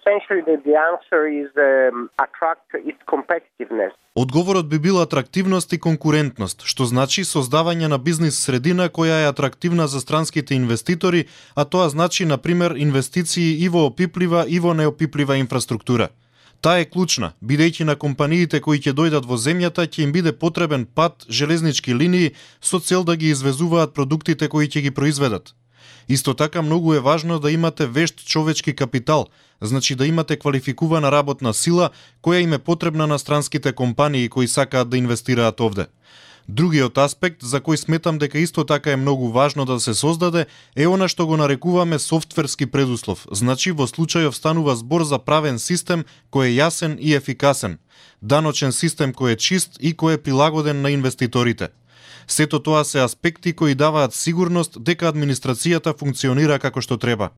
Essentially the answer is attract its competitiveness. Одговорот би бил атрактивност и конкурентност, што значи создавање на бизнис средина која е атрактивна за странските инвеститори, а тоа значи, например, инвестиции и во опиплива и во неопиплива инфраструктура. Таа е клучна, бидејќи на компаниите кои ќе дојдат во земјата ќе им биде потребен пат, железнички линии со цел да ги извезуваат продуктите кои ќе ги произведат. Исто така многу е важно да имате вешт човечки капитал, значи да имате квалификувана работна сила која им е потребна на странските компании кои сакаат да инвестираат овде. Другиот аспект за кој сметам дека исто така е многу важно да се создаде е она што го нарекуваме софтверски предуслов, значи во случајов станува збор за правен систем кој е јасен и ефикасен, даночен систем кој е чист и кој е прилагоден на инвеститорите. Сето тоа се аспекти кои даваат сигурност дека администрацијата функционира како што треба.